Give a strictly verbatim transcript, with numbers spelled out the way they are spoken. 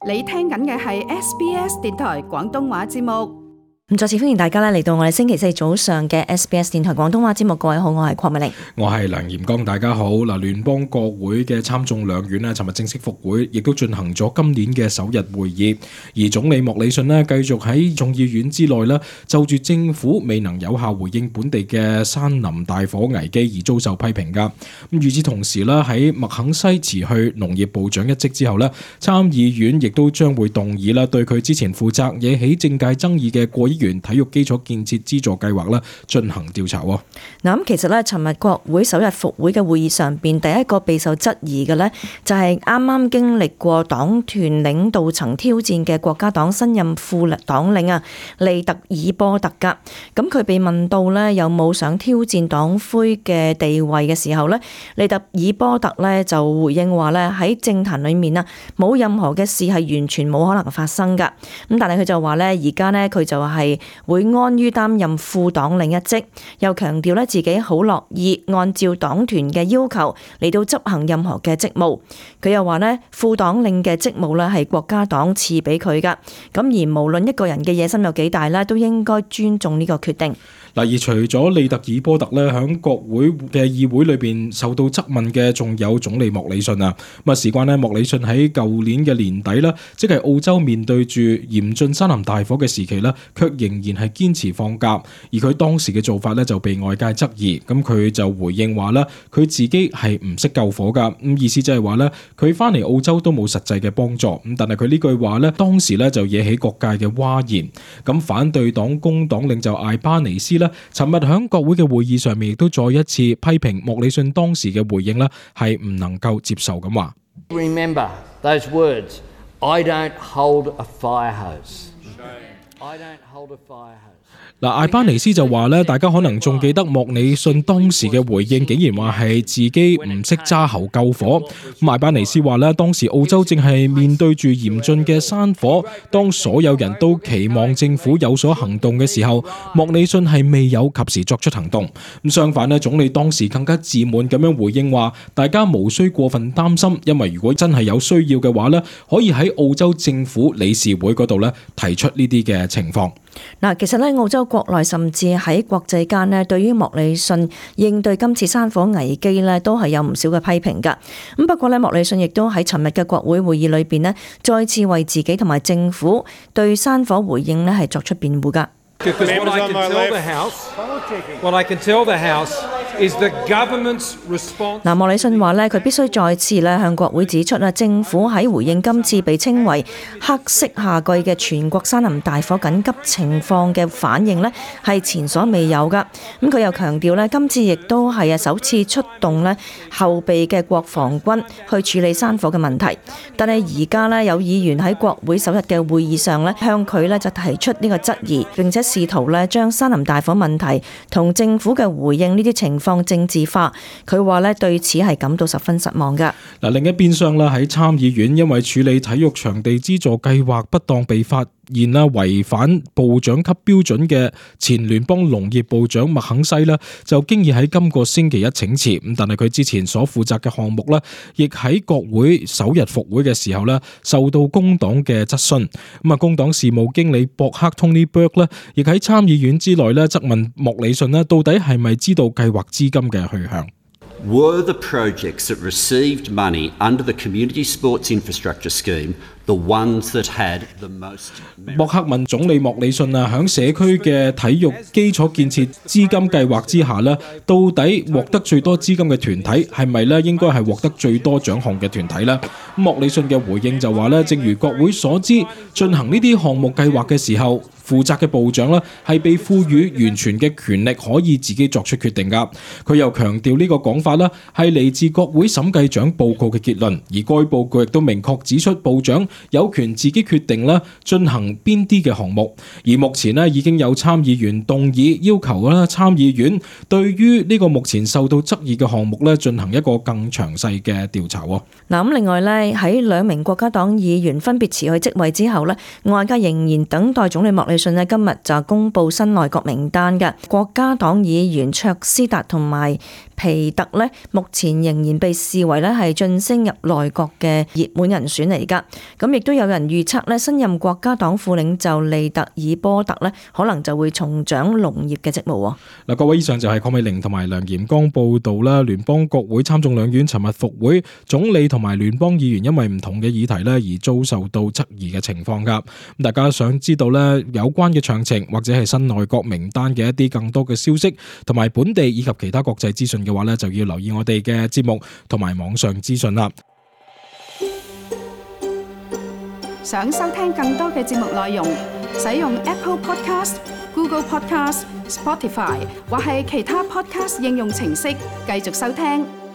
你聽緊嘅係 S B S 電台廣東話節目。咁再次歡迎大家咧嚟到我哋星期四早上嘅 S B S 電台廣東話節目。各位好，我係鄺美玲，我係梁炎剛，大家好。嗱，聯邦國會嘅參眾兩院咧，尋日正式復會，亦都進行咗今年嘅首日會議。而總理莫里遜咧，繼續喺眾議院之內咧，就住政府未能有效回應本地嘅山林大火危機而遭受批評噶。咁與此同時咧，喺麥肯西辭去農業部長一職之後咧，參議院亦都將會動議啦，對佢之前負責惹起政界爭議嘅過億元體育基礎建設資助計劃啦進行調查。嗱，咁其實咧，尋日國會首日復會嘅會議上邊，第一個備受質疑嘅咧，就係啱啱經歷過黨團領導層挑戰嘅國家黨新任副黨領啊，利特爾波特噶。咁佢被問到咧有冇想挑戰黨魁嘅地位嘅時候咧，利特爾波特咧就回應話咧，喺政壇裏面啊，冇任何嘅事係完全冇可能發生噶。咁但係佢就話咧，而家咧佢就係會安於擔任副黨領一職，又強調咧自己好樂意按照黨團嘅要求嚟到執行任何嘅職務。佢又話咧，副黨領嘅職務咧係國家黨賜俾佢噶，咁而無論一個人嘅野心有幾大咧，都應該尊重呢個決定。嗱，而除咗利特爾波特咧，喺國會嘅議會裏邊受到質問嘅，仲有總理莫里遜啊。咁啊，事關咧，莫里遜喺舊年嘅年底啦，即係澳洲面對住嚴峻山林大火嘅時期咧，卻仍然係堅持放假。而佢當時嘅做法咧，就被外界質疑。咁佢就回應話咧，佢自己係唔識救火噶。咁意思就係話咧，佢翻嚟澳洲都冇實際嘅幫助。咁但係佢呢句話咧，當時咧就惹起各界嘅譁然。咁反對黨工黨領袖艾巴尼斯咧，尋日喺國會嘅會議上面亦都再一次批評莫里遜當時嘅回應咧，係唔能夠接受咁話。Remember those words. I don't hold a fire hose. I don't hold a fire hose. 嗱，艾巴尼斯就話咧，大家可能仲記得莫里遜當時嘅回應，竟然話係自己唔識揸喉救火。咁艾巴尼斯話咧，當時澳洲正係面對住嚴峻嘅山火，當所有人都期望政府有所行動嘅時候，莫里遜係未有及時作出行動。咁相反咧，總理當時更加自滿咁樣回應話，大家無需過分擔心，因為如果真係有需要嘅話咧，可以喺澳洲政府理事會嗰度咧提出呢啲嘅情況。嗱，其實咧，澳洲國內甚至喺國際間咧，對於莫里遜應對今次山火危機咧，都係有唔少嘅批評噶。咁不過咧，莫里遜亦都喺尋日嘅國會會議裏邊咧，再次為自己同埋政府對山火回應咧係作出辯護噶。嗱，莫里遜話咧，佢必須再次咧向國會指出啊，政府喺回應今次被稱為黑色夏季嘅全國山林大火緊急情況嘅反應咧，係前所未有噶。咁佢又強調咧，今次亦都係啊首次出動咧後備嘅國防軍去處理山火嘅問題。但係而家咧有議員喺國會首日嘅會議上咧，向佢咧就提出呢個質疑，並且試圖咧將山林大火問題同政府嘅回應呢啲情況政治化。佢話咧對此係感到十分失望㗎。嗱，另一邊廂啦，喺參議院因為處理體育場地資助計劃不當被發現啦違反部長級標準嘅前聯邦農業部長麥肯西啦，就經已喺今個星期一請辭。咁但係佢之前所負責嘅項目咧，亦喺國會首日復會嘅時候咧，受到工黨嘅質詢。咁啊，工黨事務經理博克 Tony Burke 咧，亦喺參議院之內咧質問莫里遜咧，到底係咪知道計劃資金嘅去向？Were the projects that received money under the Community Sports Infrastructure Scheme the ones that had the most merit? 博克問總理莫里遜啊，響社區嘅體育基礎建設資金計劃之下咧，到底獲得最多資金嘅團體係咪咧應該係獲得最多獎項嘅團體咧？莫里遜嘅回應就話咧，正如國會所知，進行呢啲項目計劃嘅時候，負責嘅部長咧係被賦予完全嘅權力，可以自己作出決定㗎。佢又強調呢個講法咧係嚟自國會審計長報告嘅結論，而該報告亦都明確指出部長有權自己決定啦進行邊啲嘅項目。而目前咧已經有參議員動議要求啦參議院對於呢個目前受到質疑嘅項目咧進行一個更詳細嘅調查。嗱，咁另外咧喺兩名國家黨議員分別辭去職位之後咧，外界仍然等待總理莫里遜咧今日就公布新內閣名單嘅。國家黨議員卓斯達同埋皮特呢，目前仍然被視為呢係晉升入內閣嘅熱門人選嚟㗎。咁亦都有人預測呢，新任國家黨副領袖利特爾波特呢，可能就會重掌農業嘅職務。嗱，各位，以上就係鄺美玲同埋梁炎剛報道啦。聯邦國會參眾兩院尋日復會，總理同埋聯邦議員因為唔同嘅議題呢而遭受到質疑嘅情況㗎。咁大家想知道呢有關嘅詳情或者係新內閣名單嘅一啲更多嘅消息，同埋本地以及其他國際資訊嘅話呢，就要留意我哋嘅節目同埋網上資訊啦。想收聽更多嘅節目內容，使用 Apple Podcast、Google Podcast、Spotify 或係其他 Podcast 應用程式繼續收聽。